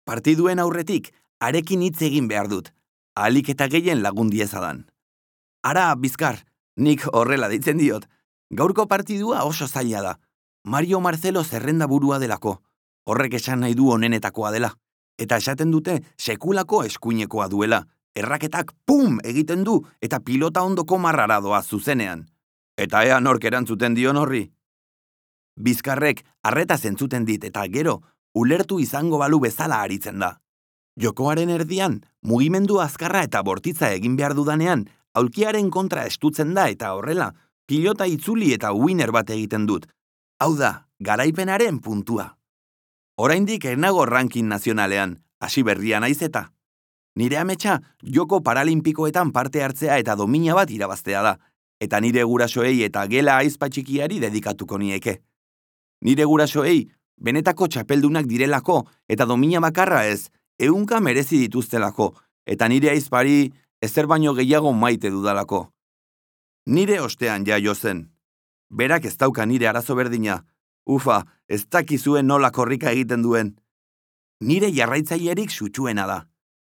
Partiduen aurretik, arekin hitz egin behar dut, ahalik eta gehien lagun diezadan. Ara, Bizkar, nik horrela deitzen diot. Gaurko partidua oso zaila da. Mario Marcelo zerrenda burua delako. Horrek esan nahi du onenetakoa dela. Eta esaten dute sekulako eskuinekoa duela. Erraketak pum egiten du eta pilota ondoko marrara doa zuzenean. Eta ea nork erantzuten dion horri. Bizkarrek arreta zentzuten dit eta gero ulertu izango balu bezala aritzen da. Jokoaren erdian, mugimendu azkarra eta bortitza egin behar dudanean, aulkiaren kontra estutzen da eta horrela, pilota itzuli eta winner bat egiten dut. Hau da, garaipenaren puntua. Oraindik enago ranking nazionalean, hasi berria naiz eta. Nire ametsa, joko paralimpikoetan parte hartzea eta domina bat irabaztea da, eta nire gurasoei eta gela aizpatxikiari dedikatuko nieke. Nire gurasoei, benetako txapeldunak direlako eta domina bakarra ez, 100 merezi dituztelako, eta nire aizpari ezer baino gehiago maite dudalako. Nire ostean jaio zen. Berak ez dauka nire arazo berdina. Ufa, ez dakizuen nola korrika egiten duen. Nire jarraitzailerik sutsuena da.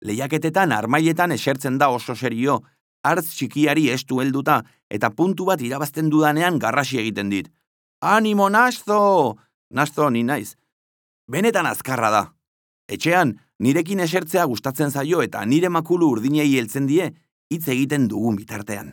Lehiaketetan armailetan esertzen da oso serio, hartz txikiari estu helduta eta puntu bat irabazten dudanean garrasi egiten dit. Animo, Nasto! Nasto ni naiz. Benetan azkarra da. Etxean, nirekin esertzea gustatzen zaio eta nire makulu urdinei heltzen die hitz egiten dugun bitartean.